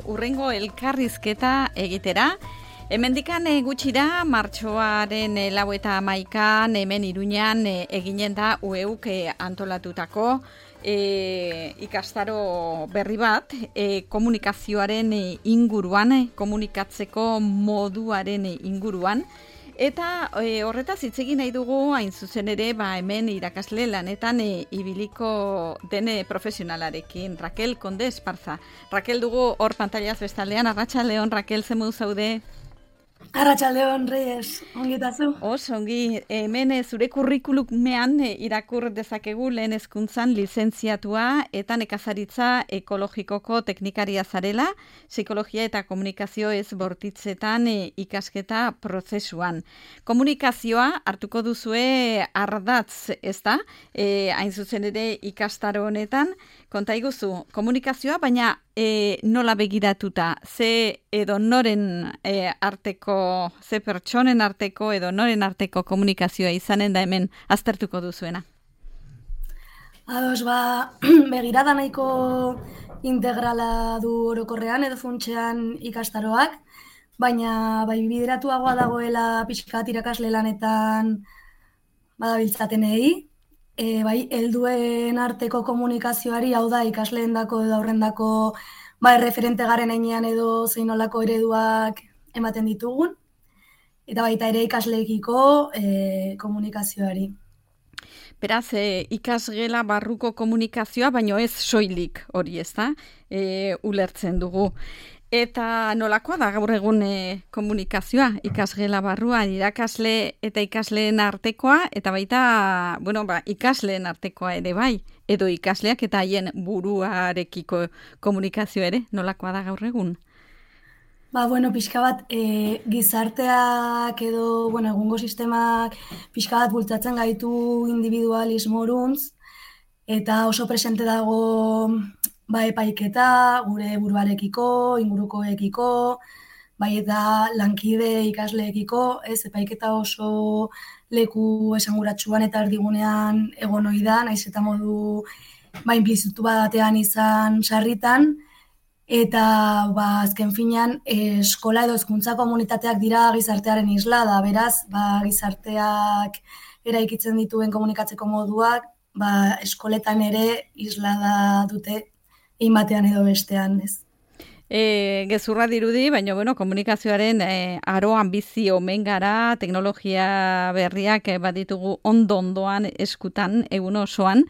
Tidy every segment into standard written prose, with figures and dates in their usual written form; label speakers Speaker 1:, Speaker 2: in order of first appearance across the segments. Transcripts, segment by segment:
Speaker 1: urrengo elkarrizketa egitera. Hemendikan gutxira, martxoaren 31an hemen Iruñan eginen da UEUk antolatutako ikastaro berri bat, komunikazioaren inguruan, komunikatzeko moduaren inguruan. Eta horretaz hitz egin nahi dugu hain zuzen ere hemen irakasle lanetan ibiliko den profesionalarekin, Raquel Conde Esparza. Raquel dugu hor pantailaz bestaldean, arratsaldeon Raquel, ze modu zaude?
Speaker 2: Arratsaldeon, Reyes, ongitazu?
Speaker 1: Ongi, hemen zure kurrikulumean irakur dezakegu lehen hezkuntzan lizentziatua eta nekazaritza ekologikoko teknikaria zarela, psikologia eta komunikazio ez bortitzetan ikasketa prozesuan. Komunikazioa hartuko duzue ardatz, ez da? Hain zuzen ere ikastaro honetan, konta iguzu, komunikazioa, baina nola begiratuta, ze edo noren arteko, ze pertsonen arteko edo noren arteko komunikazioa izanen da hemen aztertuko duzuena?
Speaker 2: Ados, begirada nahiko integrala du orokorrean edo funtsean ikastaroak, baina bideratuagoa dagoela pixkat irakasle lanetan badabiltzatenei, helduen arteko komunikazioari, hau da ikasleendako edo aurrendako erreferente garen heinean edo zein nolako ereduak ematen ditugun, eta baita ere ikasleekiko komunikazioari.
Speaker 1: Beraz, ikasgela barruko komunikazioa, baino ez soilik hori, ez da? Ulertzen dugu. Eta nolakoa da gaur egun komunikazioa, ikasgela barruan, irakasle eta ikasleen artekoa, eta baita, ikasleen artekoa ere bai, edo ikasleak eta haien buruarekiko komunikazioa ere, nolakoa da gaur egun?
Speaker 2: Pixka bat, gizarteak edo, egungo sistemak pixka bat bultzatzen gaitu individualismoruntz, eta oso presente dago epaiketa, gure buruarekiko, ingurukoekiko, eta lankide ikasleekiko, epaiketa oso leku esanguratsuan eta erdigunean egon ohi da, naiz eta modu inplizitu batean izan sarritan, eta azken finean eskola edo hezkuntza komunitateak dira gizartearen isla da, beraz, gizarteak eraikitzen dituen komunikatzeko moduak, eskoletan ere isla da dute, egin batean edo bestean, ez.
Speaker 1: Gezurra dirudi, baina komunikazioaren aroan bizi omen gara, teknologia berriak baditugu ondoan eskutan, egun osoan,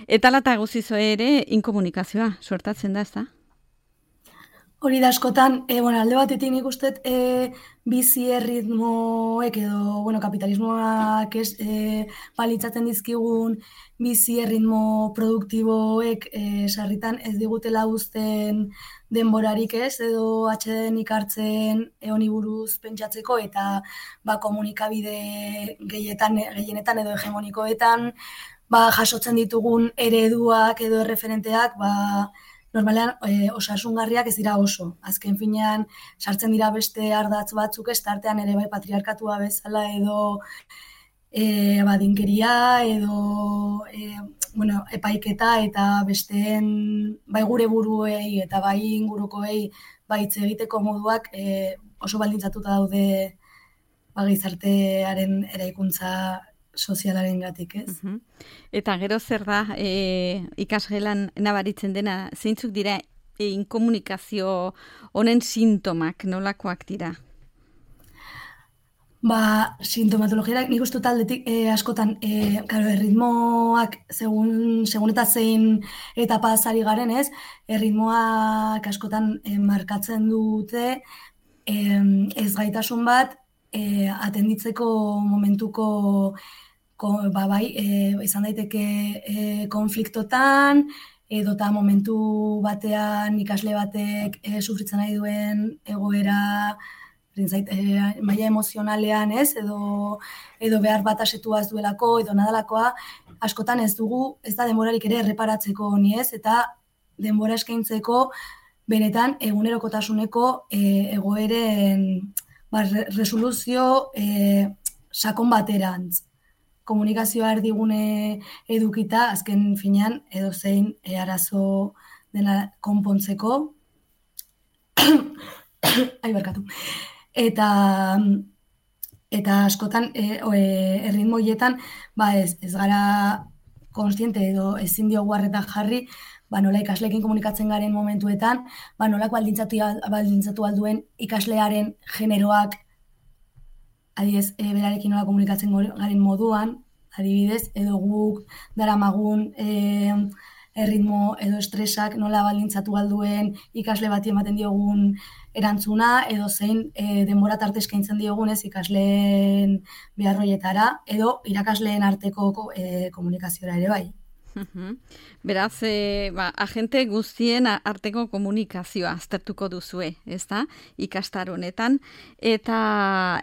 Speaker 1: eta lata guzizo ere inkomunikazioa suertatzen da, ez da?
Speaker 2: Hori da askotan, alde batetik nik uste bizi erritmoek edo kapitalismoak balitzatzen dizkigun bizi erritmo produktiboek sarritan ez digutela uzten denborarik ez, edo atsedenik hartzen honi buruz pentsatzeko eta komunikabide gehienetan edo hegemonikoetan jasotzen ditugun ereduak edo erreferenteak normalean osasungarriak ez dira oso. Azken finean sartzen dira beste ardatz batzuk, ez tartean ere patriarkatua bezala edo badinkeria edo epaiketa eta besteen gure buruei eta ingurukoei hitz egiteko moduak oso baldintzatuta daude gizartearen eraikuntza sozialaren gatik, ez?
Speaker 1: Eta gero zer da ikasgelan nabaritzen dena, zeintzuk dira inkomunikazio honen sintomak, nolakoak dira?
Speaker 2: Sintomatologia, nik uste taldetik askotan, erritmoak segun eta zein etapa zari garen, ez? Erritmoak askotan markatzen dute ez gaitasun bat atenditzeko momentuko izan daiteke konfliktotan, edota momentu batean ikasle batek sufritzen nahi duen egoera maila emozionalean, ez, edo behar bat asetua ez duelako, edo nadalakoa, askotan ez da denborarik ere erreparatzeko honi, ez, eta denbora eskaintzeko benetan egunerokotasuneko egoeren resoluzio sakon baterantz. Komunikazioa erdigune edukita, azken finean, edo zein arazo dena konpontzeko. barkatu. Eta askotan erritmo horietan ez gara konstiente edo ezin diogu arreta jarri, nola ikasleekin komunikatzen garen momentuetan, nolak baldintzatu alduen ikaslearen generoak, adibidez, berarekin nola komunikatzen garen moduan, adibidez, edo guk daramagun erritmo edo estresak nola baldintzatu alduen ikasle bati ematen diogun erantzuna, edo zein denbora tarte eskaintzen diogunez ikasleen beharroietara, edo irakasleen arteko komunikaziora ere bai.
Speaker 1: Beraz, agente guztien arteko komunikazioa aztertuko duzue, ez da, ikastaro honetan, eta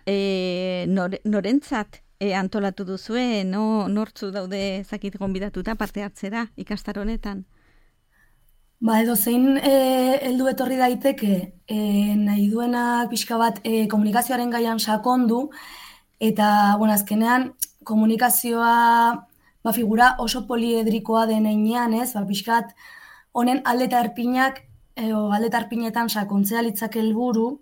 Speaker 1: norentzat antolatu duzue, nortzu daude zakit gonbidatuta parte hartzera ikastaro honetan?
Speaker 2: Edo zein heldu etorri daiteke, nahi duenak pixka bat komunikazioaren gaian sakondu, eta, azkenean, komunikazioa figura oso poliedrikoa den heinean, pixkat, honen alde eta erpinetan sakontzea litzake helburu,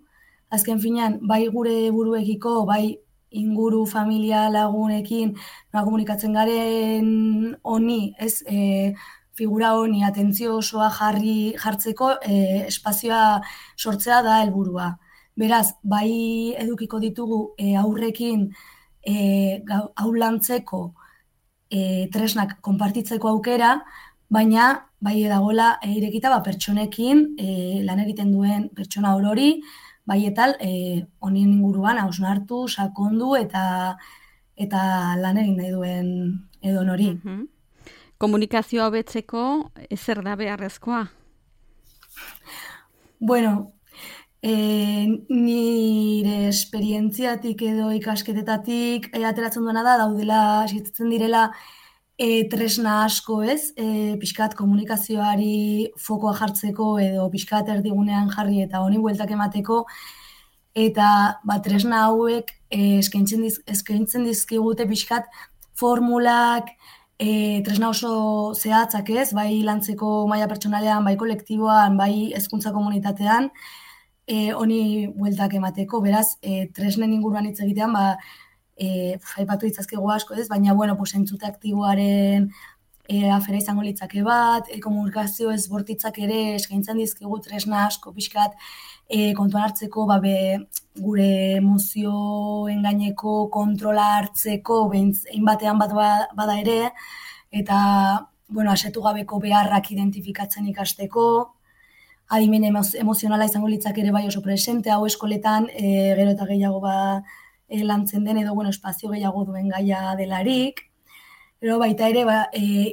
Speaker 2: azken finean, bai gure buruekiko, bai inguru, familia, lagunekin, komunikatzen garen honi, figura honi atentzio osoa jartzeko espazioa sortzea da helburua. Beraz, bai edukiko ditugu aurrekin aulantzeko tresnak konpartitzeko aukera, baina bai edagola irekita pertsonekin lan egiten duen pertsona orori, bai etal honien inguruan hausnartu, sakondu eta lan egin nahi duen edo nori.
Speaker 1: Komunikazioa hobetzeko zer da beharrezkoa?
Speaker 2: Nire esperientziatik edo ikasketetatik ateratzen duena da, daudela, existitzen direla tresna asko pixkat komunikazioari fokoa jartzeko edo pixkat erdigunean jarri eta honi bueltak emateko, eta tresna hauek eskaintzen dizkigute pixkat formulak, tresna oso zehatzak bai lantzeko maila pertsonalean, bai kolektiboan, bai hezkuntza komunitatean, honi bueltak emateko, beraz, tresnen inguruan hitz egitean, aipatu ditzazkegu asko baina, entzute aktiboaren afera izango litzake bat, komunikazio ezbortitzak ere eskaintzen dizkigu tresna asko pixkat kontuan hartzeko, gure emozioen gaineko kontrola hartzeko, behin batean bat bada ere, eta, asetu gabeko beharrak identifikatzen ikasteko, adimen emozionala izango litzak ere bai oso presente, hau eskoletan gero eta gehiago lantzen den edo espazio gehiago duen gaia delarik. Gero baita ere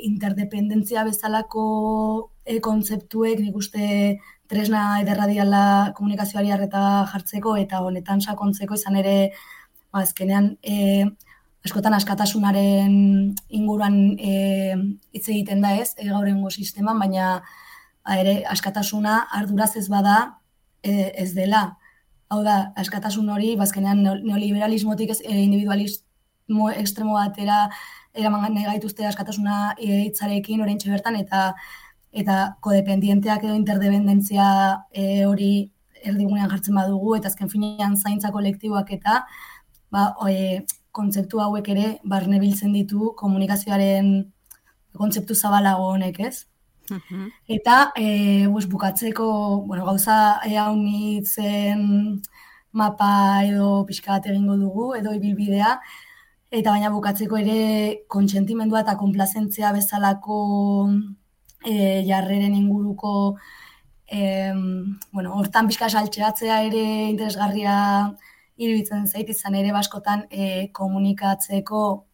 Speaker 2: interdependentzia bezalako kontzeptuek nik uste tresna ederra diala komunikazioari arreta jartzeko eta honetan sakontzeko izan ere azkenean askotan askatasunaren inguruan hitz egiten da gaur egungo sisteman, baina ere askatasuna arduraz ez bada ez dela. Hau da, askatasun hori, bazkenean neoliberalismotik individualismo ekstremo batera eraman nahi gaituzte askatasuna hitzarekin oraintxe bertan, eta kodependienteak edo interdependentzia hori erdigunean jartzen badugu, eta azken finean zaintza kolektiboak eta kontzeptu hauek ere barne biltzen ditu komunikazioaren kontzeptu zabalago honek, Eta bukatzeko gauza haunitzen mapa edo pixkat egingo dugu, edo ibilbidea, eta baina bukatzeko ere kontsentimendua eta konplazentzia bezalako jarreren inguruko hortan pixka saltxeatzea ere interesgarria iruditzen zait, izan ere baskotan komunikatzeko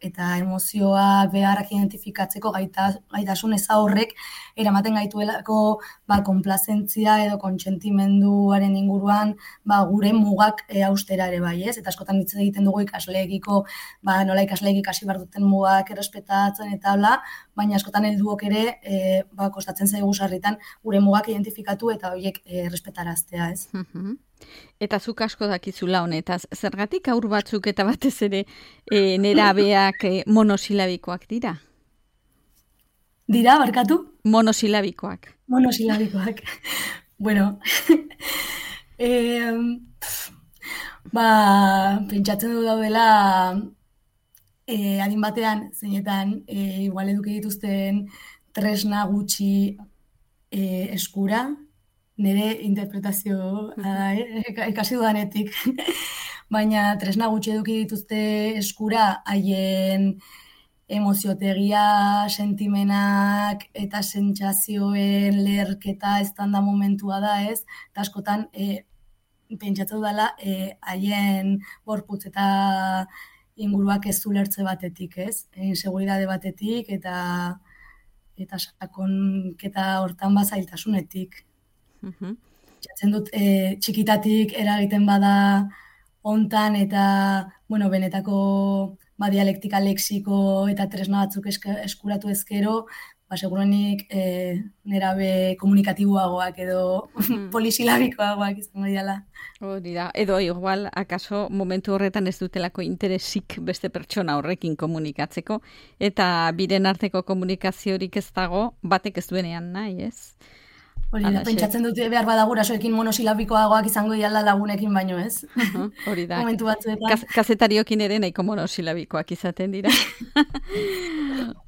Speaker 2: eta emozioak beharrak identifikatzeko gaitasun eza horrek eramaten gaituelako konplazentzia edo kontsentimenduaren inguruan gure mugak haustera ere bai, eta askotan hitz egiten dugu ikasleekiko nola ikasleek ikasi behar duten mugak errespetatzen eta hola, baina askotan helduok ere kostatzen zaigu sarritan gure mugak identifikatu eta horiek errespetaraztea,
Speaker 1: Eta zuk asko dakizula honetaz, zergatik haur batzuk eta batez ere nerabeak monosilabikoak dira?
Speaker 2: Dira, barkatu?
Speaker 1: Monosilabikoak.
Speaker 2: Monosilabikoak. Pentsatzen du daudela adin batean, zeinetan, igual eduki dituzten tresna gutxi eskura, nire interpretazio ikasi dudanetik. Baina tresna gutxi eduki dituzte eskura haien emoziotegia, sentimenak eta sentsazioen leherketa eztanda momentua da, ez? Eta askotan, pentsatzen dudala, haien gorputz eta inguruak ez ulertze batetik, ez? Inseguridade batetik eta sakonketa hortan bazailtasunetik. Pentsatzen dut, txikitatik eragiten bada hontan eta, bueno, benetako dialektika lexiko eta tresna batzuk eskuratu ezkero, segurenik nerabe komunikatiboagoak edo polisilabikoagoak izango diala.
Speaker 1: Hori da, edo igual, akaso momentu horretan ez dutelako interesik beste pertsona horrekin komunikatzeko, eta biren arteko komunikaziorik ez dago, batek ez duenean nahi, ez?
Speaker 2: Hori da, pentsatzen dute behar bada gurasoekin monosilabikoagoak izango diala lagunekin baino, ez?
Speaker 1: Hori da,
Speaker 2: momentu batzuetan.
Speaker 1: Kazetariokin ere nahiko monosilabikoak izaten dira.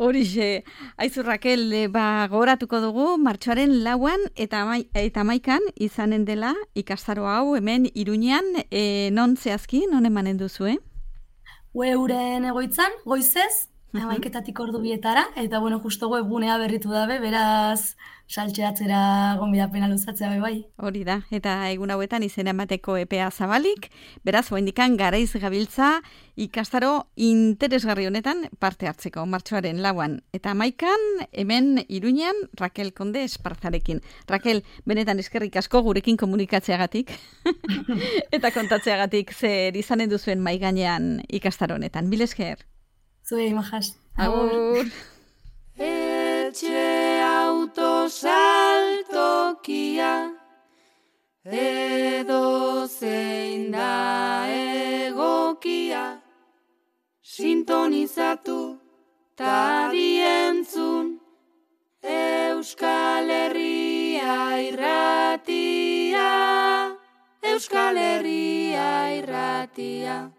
Speaker 1: Horixe, aizu Rakel, gogoratuko dugu, martxoaren 4an eta 11an izanen dela ikastaro hau hemen Iruñean, non zehazki, non emanen duzu,
Speaker 2: Euren egoitzan, goizez, 11etatik ordu bietara, eta bueno, justo webgunea berritu dabe, beraz saltxeatzera gonbidapena luzatzea bai.
Speaker 1: Hori da, eta egun hauetan izena emateko epea zabalik, beraz, oraindikan garaiz gabiltza ikastaro interesgarri honetan parte hartzeko, martxoaren 4an eta 11an hemen Iruñean Rakel Konde Esparzarekin. Rakel, benetan eskerrik asko gurekin komunikatzeagatik eta kontatzeagatik zer izanen duzuen mai gainean ikastaro honetan. Mil esker.
Speaker 2: Zuei, majas.
Speaker 1: Agur.
Speaker 3: Etxe autosaltokia edo zein da egokia sintonizatu ta dientzun Euskal Herria irratia Euskal Herria irratia